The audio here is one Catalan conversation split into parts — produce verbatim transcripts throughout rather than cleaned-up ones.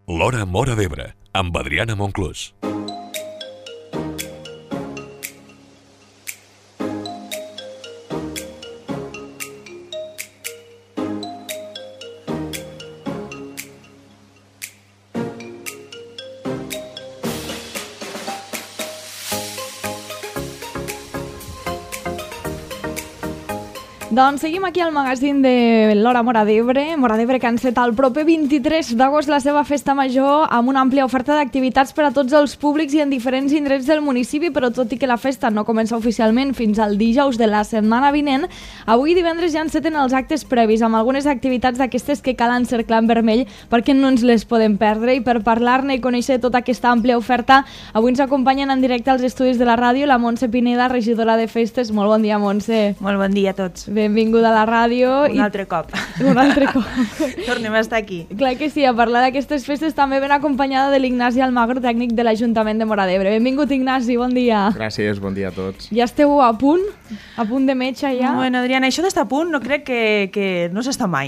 L'Hora Móra d'Ebre, amb Adriana Monclús. Doncs seguim aquí al magazín de l'Hora Móra d'Ebre. Móra d'Ebre que enceta el proper vint-i-tres d'agost la seva festa major amb una àmplia oferta d'activitats per a tots els públics i en diferents indrets del municipi, però tot i que la festa no comença oficialment fins al dijous de la setmana vinent, avui divendres ja enceten els actes previs amb algunes activitats d'aquestes que cal encerclar en vermell perquè no ens les podem perdre. I per parlar-ne i conèixer tota aquesta àmplia oferta, avui ens acompanyen en directe als estudis de la ràdio la Montse Pineda, regidora de festes. Molt bon dia, Montse. Molt bon dia a tots. Benvinguda a la ràdio. Un i... altre cop. Un altre cop. Tornem a estar aquí. Clar que sí, a parlar d'aquestes festes també ben acompanyada de l'Ignasi Almagro, tècnic de l'Ajuntament de Móra d'Ebre. Benvingut, Ignasi, bon dia. Gràcies, bon dia a tots. Ja esteu a punt? A punt de metge ja? Bueno, Adriana, això d'estar a punt no crec que, que no s'està mai.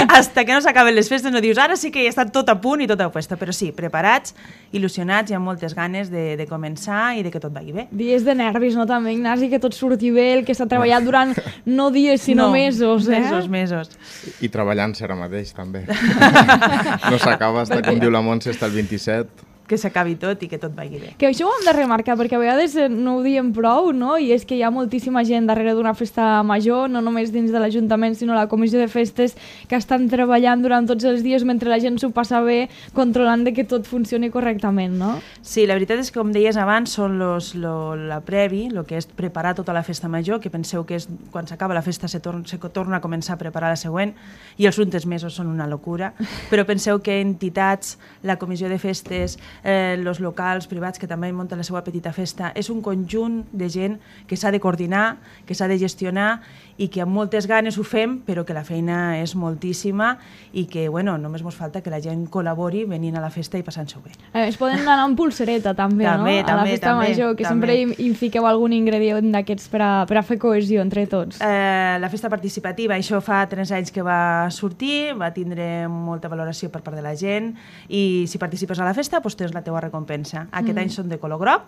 Hasta que no s'acaben les festes no dius ara sí que ja està tot a punt i tot a puesta, però sí, preparats, il·lusionats i amb moltes ganes de, de començar i de que tot vagi bé. Dies de nervis, no també, Ignasi, que tot surti bé, el que s'ha treballat durant no dies sinó no, mesos, eh? Mesos, mesos. I, i treballant ara mateix, també. No s'acaba, està, com diu la Montse, està el vint-i-set. Que s'acabi tot i que tot vagi bé. Que això ho hem de remarcar, perquè a vegades no ho diem prou, no? I és que hi ha moltíssima gent darrere d'una festa major, no només dins de l'Ajuntament, sinó la Comissió de Festes, que estan treballant durant tots els dies mentre la gent s'ho passa bé, controlant de que tot funcioni correctament, no? Sí, la veritat és que, com deies abans, són los, lo, la previ, el que és preparar tota la festa major, que penseu que és, quan s'acaba la festa se, tor se torna a començar a preparar la següent, i els últims mesos són una locura, però penseu que entitats, la Comissió de Festes, Eh, els locals privats que també munten la seva petita festa, és un conjunt de gent que s'ha de coordinar, que s'ha de gestionar i que amb moltes ganes ho fem, però que la feina és moltíssima i que, bueno, només ens falta que la gent col·labori venint a la festa i passant-s'ho bé. Eh, es poden anar amb pulsereta també, també no? També, a la festa també, major, que també. sempre hi, hi fiqueu algun ingredient d'aquests per, a, per a fer cohesió entre tots. Eh, la festa participativa, això fa tres anys que va sortir, va tindre molta valoració per part de la gent i si participes a la festa, doncs tens la teua recompensa. Aquest mm. any són de color groc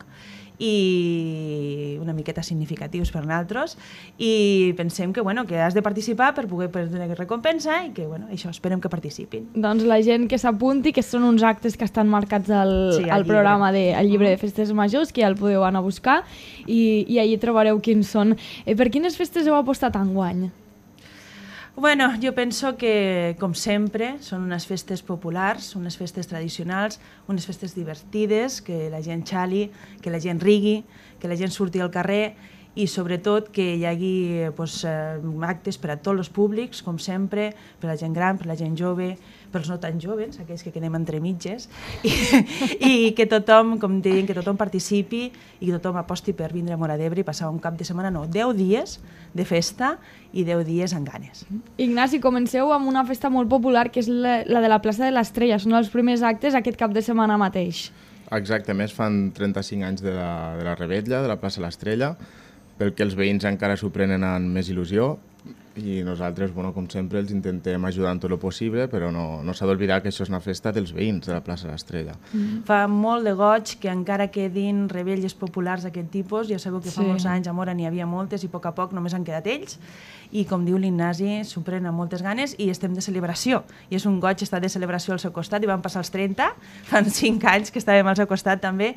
i una miqueta significatius per nosaltres i pensem que, bueno, que has de participar per poder prendre recompensa i que, bueno, això, esperem que participin. Doncs la gent que s'apunti, que són uns actes que estan marcats al, sí, al, al programa, de, al llibre de festes majors, que ja el podeu anar a buscar i, i allí trobareu quins són. Eh, per quines festes heu apostat enguany? Bueno, jo penso que, com sempre, són unes festes populars, unes festes tradicionals, unes festes divertides, que la gent xali, que la gent rigui, que la gent surti al carrer i, sobretot, que hi hagi pues, actes per a tots els públics, com sempre, per a la gent gran, per a la gent jove, pels no tan joves, aquells que quedem entre mitges, i, i que tothom, com deien, que tothom participi i que tothom aposti per vindre a Móra d'Ebre i passar un cap de setmana, no, deu dies de festa i deu dies amb ganes. Ignasi, comenceu amb una festa molt popular que és la, la de la plaça de l'Estrella. Són els primers actes aquest cap de setmana mateix. Exacte, més fan trenta-cinc anys de la, de la Revetlla, de la plaça l'Estrella, pel que els veïns encara s'ho prenen amb més il·lusió i nosaltres, bueno, com sempre, els intentem ajudar en tot el possible, però no, no s'ha d'oblidar que això és una festa dels veïns de la plaça l'Estrella. Mm. Fa molt de goig que encara quedin rebelles populars d'aquest tipus. Ja sabeu que fa sí. molts anys a Móra n'hi havia moltes i a poc a poc només han quedat ells. I com diu l'Ignasi, s'ho prenen amb moltes ganes i estem de celebració. I és un goig estar de celebració al seu costat i van passar els trenta, fan cinc anys que estàvem al seu costat també.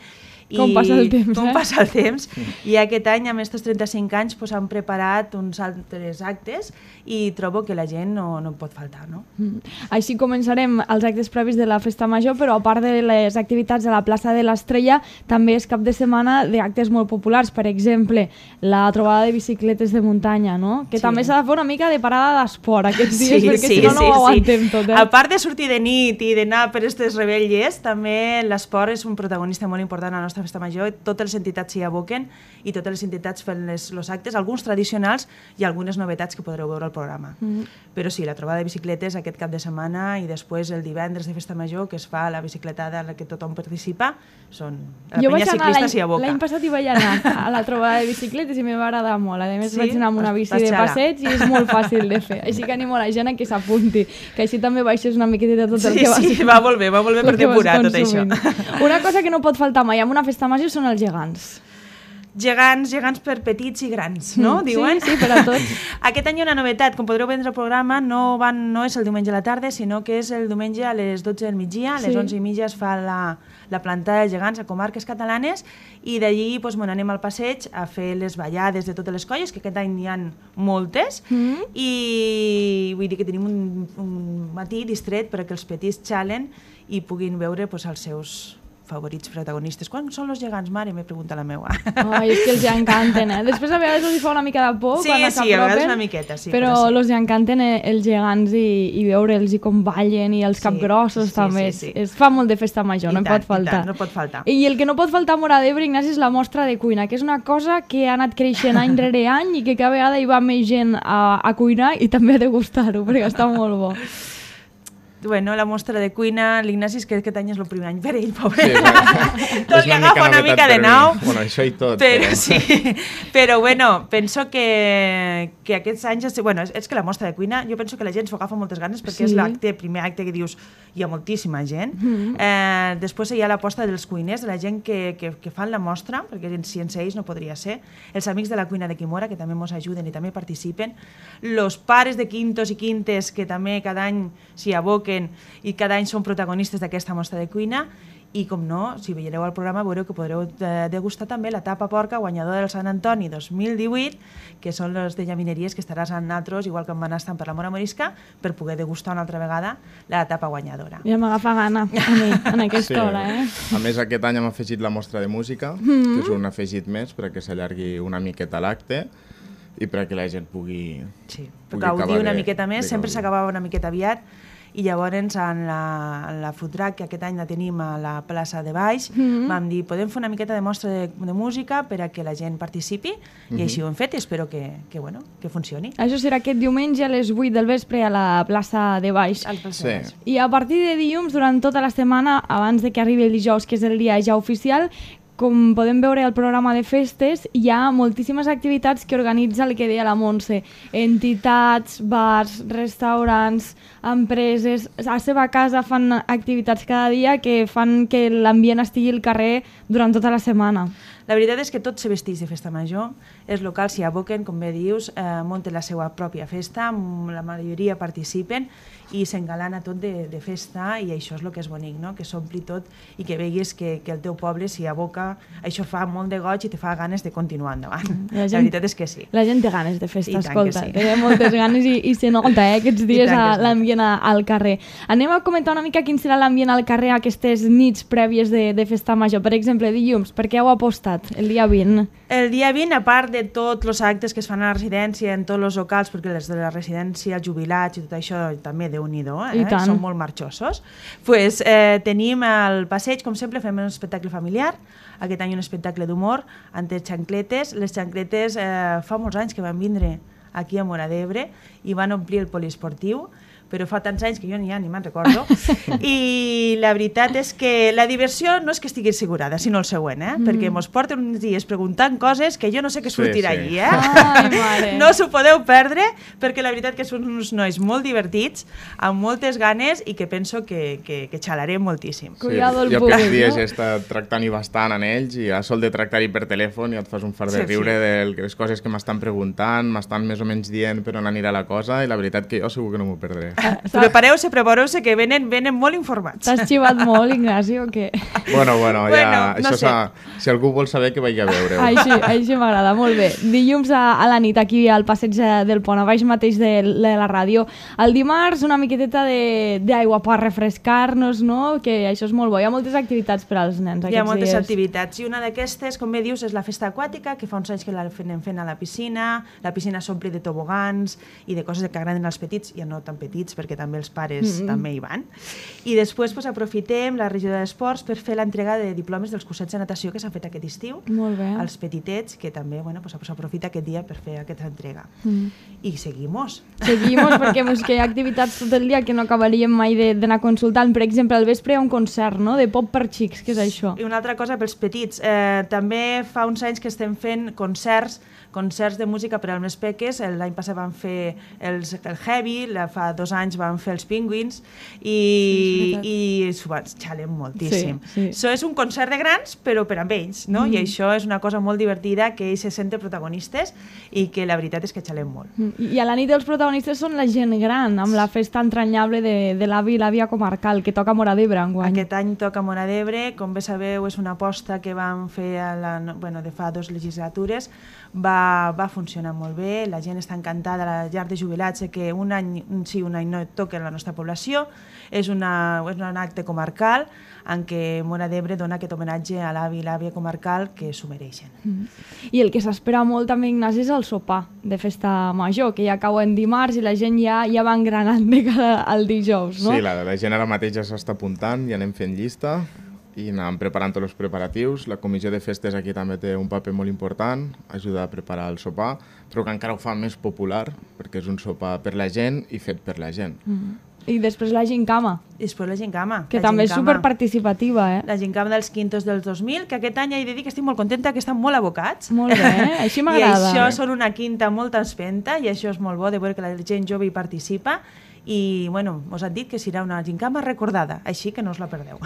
Com I passa el temps, com eh? passa el temps. I aquest any, amb aquests trenta-cinc anys, pues, han preparat uns altres actes i trobo que la gent no, no pot faltar, no? Mm. Així començarem els actes previs de la festa major, però a part de les activitats a la plaça de l'Estrella, també és cap de setmana d'actes molt populars. Per exemple, la trobada de bicicletes de muntanya, no? Que sí. també s'ha de fer una mica de parada d'esport aquests dies, sí, perquè sí, si no, no sí, ho aguantem sí. tot. Eh? A part de sortir de nit i d'anar per aquestes rebelles, també l'esport és un protagonista molt important a la nostra festa major. Totes les entitats s'hi aboquen i totes les entitats fan els actes, alguns tradicionals i algunes novetats que podreu podreu veure el programa. Mm. Però sí, la trobada de bicicletes aquest cap de setmana i després el divendres de Festa Major, que es fa la bicicletada en la que tothom participa, són la jo penya ciclista s'hi aboca. L'any passat hi vaig anar a la trobada de bicicletes i m'hi va agradar molt. A més, sí? vaig anar amb una bici de passeig i és molt fàcil de fer. Així que animo a la gent a que s'apunti, que així també baixes una miqueta tot el sí, que vas... Sí, va molt bé, va molt bé per depurar tot això. Una cosa que no pot faltar mai en una festa major són els gegants. Gegants, gegants per petits i grans, no? Mm, Diuen? Sí, sí, per a tots. Aquest any hi ha una novetat, com podreu veure el programa, no, van, no és el diumenge a la tarda, sinó que és el diumenge a les dotze del migdia, a les sí. onze i mitja es fa la, la plantada dels gegants a comarques catalanes i d'allí doncs, bueno, anem al passeig a fer les ballades de totes les colles, que aquest any n'hi ha moltes, mm. i vull dir que tenim un, un matí distret perquè els petits xalen i puguin veure doncs, els seus favorits protagonistes. Quan són els gegants, mare? Me pregunta la meva. Ai, és que els encanten, eh? Després a vegades els fa una mica de por sí, quan s'apropen. Sí, a vegades una miqueta, sí. Però, però sí. els encanten els gegants i, i veure'ls i com ballen i els sí, capgrossos sí, també. Sí, sí. Es fa molt de festa major, I no tant, pot faltar. I tant, no pot faltar. I el que no pot faltar a Móra d'Ebre, Ignasi, és la mostra de cuina, que és una cosa que ha anat creixent any rere any i que cada vegada hi va més gent a, a cuinar i també a degustar-ho, perquè està molt bo. Bueno, la mostra de cuina, l'Ignasi és que aquest any és el primer any per ell, pobre. Sí, bueno, tot li agafa una mica de nau. Bueno, això i tot. Però, però... Sí, però bueno, penso que, que aquests anys... Bueno, és, és que la mostra de cuina, jo penso que la gent s'ho agafa moltes ganes perquè sí. és l'acte, primer acte que dius hi ha moltíssima gent. Mm-hmm. eh, després hi ha l'aposta dels cuiners, de la gent que, que, que fan la mostra, perquè sense ells no podria ser. Els amics de la cuina de Quimora, que també ens ajuden i també participen. Los pares de quintos i quintes, que també cada any s'hi aboquen i cada any són protagonistes d'aquesta mostra de cuina i com no, si veieu el programa veureu que podreu degustar també la tapa porca guanyadora del Sant Antoni dos mil divuit, que són les de llamineries que estaràs amb nosaltres, igual que em van estar per la Mora Morisca, per poder degustar una altra vegada la tapa guanyadora. Ja m'agafa gana a mi, en aquesta sí. hora, eh? A més, aquest any hem afegit la mostra de música, mm-hmm. que és un afegit més perquè s'allargui una miqueta l'acte i perquè la gent pugui... Sí, pugui gaudir una de, miqueta més, sempre s'acabava una miqueta aviat, i llavors en la, en la food truck, que aquest any la tenim a la plaça de Baix, mm-hmm. vam dir, podem fer una miqueta de mostra de, de música per a que la gent participi, mm-hmm. i així ho hem fet i espero que, que, bueno, que funcioni. Això serà aquest diumenge a les vuit del vespre a la plaça de Baix. Sí. De Baix. I a partir de dilluns, durant tota la setmana, abans de que arribi el dijous, que és el dia ja oficial, com podem veure al programa de festes, hi ha moltíssimes activitats que organitza el que deia la Montse. Entitats, bars, restaurants, empreses... A la seva casa fan activitats cada dia que fan que l'ambient estigui al carrer durant tota la setmana. La veritat és que tots se vestits de festa major, els locals s'hi aboquen, com bé dius, eh, munten la seva pròpia festa, la majoria participen i s'engalana tot de, de festa i això és el que és bonic, no? Que s'ompli tot i que veguis que, que el teu poble s'hi aboca, això fa molt de goig i te fa ganes de continuar endavant. La, gent, la veritat és que sí. La gent té ganes de festa, escolta, sí. Té moltes ganes i, i se nota eh, aquests dies l'ambient al carrer. Anem a comentar una mica quin serà l'ambient al carrer aquestes nits prèvies de, de festa major. Per exemple, dilluns, per què heu apostat el dia vint? El dia vint, a part de tots els actes que es fan a la residència, en tots els locals, perquè les de la residència, els jubilats i tot això també déu-n'hi-do, eh? Són molt marxosos, pues, eh, tenim el passeig, com sempre, fem un espectacle familiar, aquest any un espectacle d'humor, amb les xancletes. Les xancletes eh, fa molts anys que van vindre aquí a Móra d'Ebre i van omplir el poliesportiu, però fa tants anys que jo ja ni me'n recordo. I la veritat és que la diversió no és que estigui assegurada, sinó el següent, eh? Mm. Perquè mos porten uns dies preguntant coses que jo no sé què sortirà sí, sí. allí, eh? Ai, mare. No s'ho podeu perdre, perquè la veritat que són uns nois molt divertits, amb moltes ganes i que penso que, que, que xalarem moltíssim. Sí, jo aquests dies he estat tractant-hi bastant en ells i a sol de tractar-hi per telèfon ja et fas un fart de sí, riure sí. de les coses que m'estan preguntant, m'estan més o menys dient per on anirà la cosa i la veritat que jo segur que no m'ho perdré. Prepareu-se, prepareu-se, que venen, venen molt informats. T'has xivat molt, Ignasi, o què? Bueno, bueno, ja, bueno no això sé. Si algú vol saber que vagi a veure. Així, així m'agrada, molt bé. Dilluns a, a la nit, aquí al passeig del Pont, a baix mateix de, de la ràdio. El dimarts, una miqueteta d'aigua per refrescar-nos, no? Que això és molt bo. Hi ha moltes activitats per als nens aquests dies. Hi ha moltes dies. activitats, i una d'aquestes, com bé dius, és la festa aquàtica, que fa uns anys que la anem fent a la piscina. La piscina s'ompli de tobogans i de coses que agraden als petits, i no tan petits, petits, perquè també els pares mm -hmm. també hi van. I després pues, aprofitem la regió d'esports per fer l'entrega de diplomes dels cursets de natació que s'han fet aquest estiu. Molt bé. Als petitets, que també bueno, pues, s'aprofita aquest dia per fer aquesta entrega. Mm. I seguimos. Seguimos, perquè pues, que hi ha activitats tot el dia que no acabaríem mai d'anar consultant. Per exemple, al vespre hi ha un concert, no?, de pop per xics. Què és això? I una altra cosa pels petits. Eh, també fa uns anys que estem fent concerts concerts de música per als més peques. L'any passat van fer els, el Heavy, fa dos anys van fer els Penguins i, sí, i s'ho van xalem moltíssim. Sí, sí. Això és un concert de grans, però per amb ells, no? Mm. I això és una cosa molt divertida, que ells se senten protagonistes i que la veritat és que xalem molt. Mm. I a la nit els protagonistes són la gent gran, amb la festa entranyable de, de l'avi i l'àvia comarcal, que toca a Móra d'Ebre enguany. Aquest any toca a Móra d'Ebre, com bé sabeu, és una aposta que vam fer a la, bueno, de fa dues legislatures. Va, va funcionar molt bé, la gent està encantada, la llar de jubilats, que un any sí, un any no toca en la nostra població, és, una, és un acte comarcal en què Móra d'Ebre dona aquest homenatge a l'avi i l'àvia comarcal que s'ho mereixen. Mm. I el que s'espera molt també, Ignasi, és el sopar de festa major, que ja cau en dimarts i la gent ja, ja va engranant de cada al dijous, no? Sí, la, la gent ara mateix ja s'està apuntant i anem fent llista i anem preparant tots els preparatius. La comissió de festes aquí també té un paper molt important, ajuda a preparar el sopar, però que encara ho fa més popular, perquè és un sopar per la gent i fet per la gent. Mm. I després la gincama. I després la gincama. Que la també gincama. És superparticipativa, eh? La gincama dels quintos del dos mil, que aquest any he de dir que estic molt contenta, que estan molt abocats. Molt bé, així m'agrada. I això són una quinta molt espenta i això és molt bo de veure que la gent jove hi participa. I, bueno, us han dit que serà una gincama recordada, així que no us la perdeu.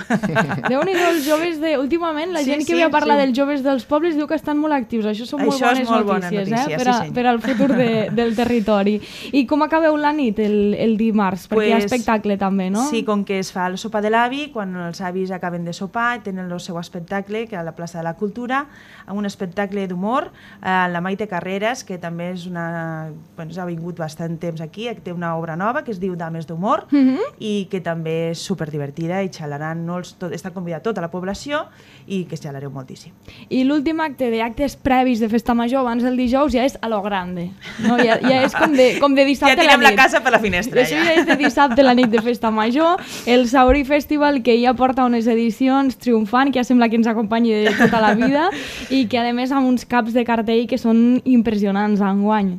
Déu-n'hi-do, els joves de... Últimament, la sí, gent que sí, ve a parlar sí. dels joves dels pobles diu que estan molt actius. Això són molt Això bones molt notícies, bona notícia, eh? per, a, sí, per al futur de, del territori. I com acabeu la nit, el, el dimarts? Perquè pues, hi ha espectacle també, no? Sí, com que es fa el sopar de l'avi, quan els avis acaben de sopar, tenen el seu espectacle, que a la plaça de la Cultura, amb un espectacle d'humor, eh, la Maite Carreras, que també és una... Bueno, ha vingut bastant temps aquí, té una obra nova que es diu Dames d'Humor, mm-hmm. i que també és superdivertida i xalaran, no els, tot, està convidat tota la població i que xalareu moltíssim. I l'últim acte d'actes previs de festa major abans del dijous ja és a lo grande, no? ja, ja és com de, com de dissabte ja a la nit. Ja tirem la casa per la finestra. Això ja. ja és de dissabte a la nit de festa major, el Saurí Festival, que ja porta unes edicions triomfant, que ja sembla que ens acompanyi de tota la vida i que a més amb uns caps de cartell que són impressionants enguany.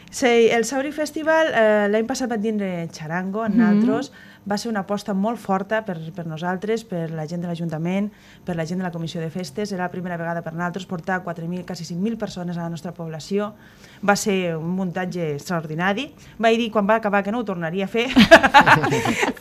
Sí, el Saurí Festival eh, l'any passat va tindre xarango en nosaltres, mm-hmm. va ser una aposta molt forta per, per nosaltres, per la gent de l'Ajuntament, per la gent de la Comissió de Festes. Era la primera vegada per nosaltres portar quatre mil, quasi cinc mil persones a la nostra població. Va ser un muntatge extraordinari. Vaig dir quan va acabar que no ho tornaria a fer,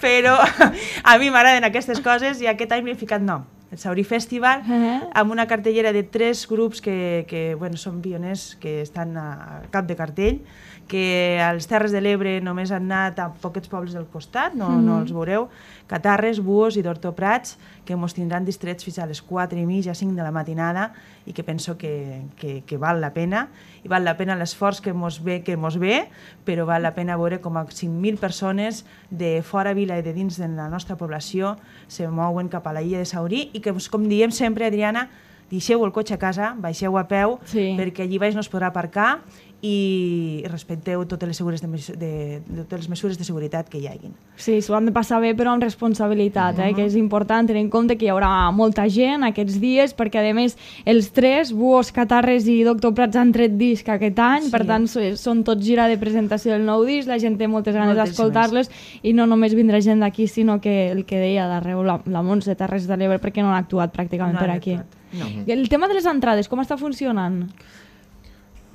però a mi m'agraden aquestes coses i aquest any m'he ficat nom. El Saurí Festival, uh-huh. amb una cartellera de tres grups que, que bueno, són pioners, que estan a cap de cartell, que a les Terres de l'Ebre només han anat a poquets pobles del costat, no, uh-huh. no els veureu, Catarres, Buos i d'Hortoprats, que ens tindran distrets fins a les quatre i mitja, cinc de la matinada, i que penso que, que, que val la pena, i val la pena l'esforç que mos ve, que mos ve, però val la pena veure com a cinc mil persones de fora vila i de dins de la nostra població se mouen cap a la illa de Saurí i que, com diem sempre, Adriana, deixeu el cotxe a casa, baixeu a peu, sí. perquè allí baix no es podrà aparcar i respecteu totes les, de, de, de, totes les mesures de seguretat que hi hagin. Sí, s'ho han de passar bé, però amb responsabilitat, eh? uh-huh. que és important tenir en compte que hi haurà molta gent aquests dies, perquè a més els tres, Buos, Catarres i Doctor Prats, han tret disc aquest any, sí. per tant són tots gira de presentació del nou disc, la gent té moltes ganes d'escoltar-les i no només vindrà gent d'aquí, sinó que el que deia d'arreu, la, la Montse, Terres de l'Ebre, perquè no han actuat pràcticament no per aquí. No. I el tema de les entrades, com està funcionant?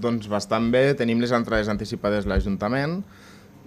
Doncs bastant bé, tenim les entrades anticipades a l'Ajuntament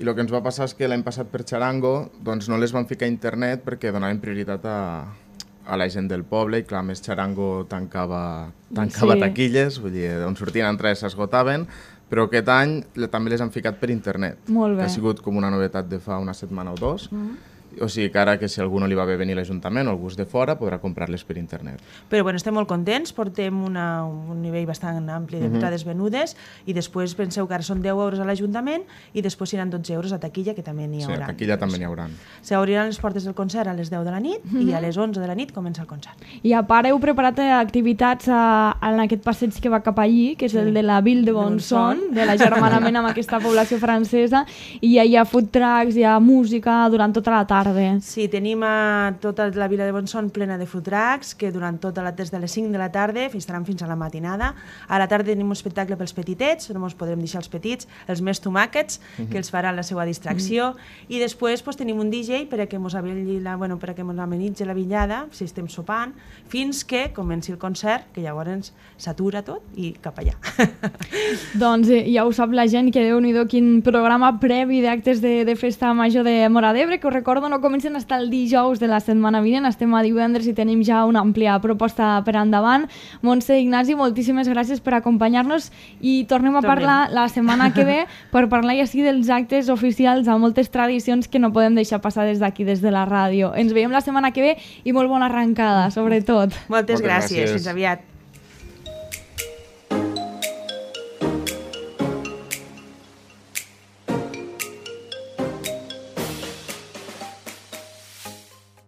i el que ens va passar és que l'any passat per xarango doncs no les vam ficar a internet perquè donaven prioritat a, a la gent del poble i clar, més xarango tancava, tancava sí. taquilles, vull dir, on sortien entrades s'esgotaven, però aquest any també les han ficat per internet, Molt bé. que ha sigut com una novetat de fa una setmana o dos. Mm. o sigui que ara que si algú no li va bé venir a l'Ajuntament o algú és de fora podrà comprar-les per internet. Però bueno, estem molt contents, portem una, un nivell bastant ampli de entrades uh -huh. venudes i després penseu que ara són deu euros a l'Ajuntament i després seran dotze euros a taquilla, que també n'hi haurà. Sí, a taquilla també n'hi haurà. S'obriran les portes del concert a les deu de la nit uh -huh. i a les onze de la nit comença el concert. I a part heu preparat activitats a, en aquest passeig que va cap allí, que és sí. el de la Ville de Bonson, de l'agermanament amb aquesta població francesa, i ja hi ha food trucks, hi ha música durant tota la tarda. Sí, tenim a tota la vila de Bonson plena de food trucks, que durant tota la, des de les cinc de la tarda estaran fins a la matinada. A la tarda tenim un espectacle pels petitets, no ens podrem deixar els petits, els més tomàquets, uh-huh. que els faran la seva distracció, uh-huh. i després pues, tenim un D J per a que ens la, bueno, per a que ens amenitzi la vetllada, si estem sopant, fins que comenci el concert, que llavors s'atura tot i cap allà. Doncs eh, ja ho sap la gent, que Déu-n'hi-do quin programa previ d'actes de, de Festa Major de Móra d'Ebre, que us recordo no comencen fins el dijous de la setmana vinent, estem a divendres i tenim ja una àmplia proposta per endavant. Montse, Ignasi, moltíssimes gràcies per acompanyar-nos i tornem a tornem. parlar la setmana que ve per parlar ja sí dels actes oficials amb moltes tradicions que no podem deixar passar des d'aquí, des de la ràdio. Ens veiem la setmana que ve i molt bona arrencada, sobretot. Moltes, Moltes gràcies. gràcies, fins aviat.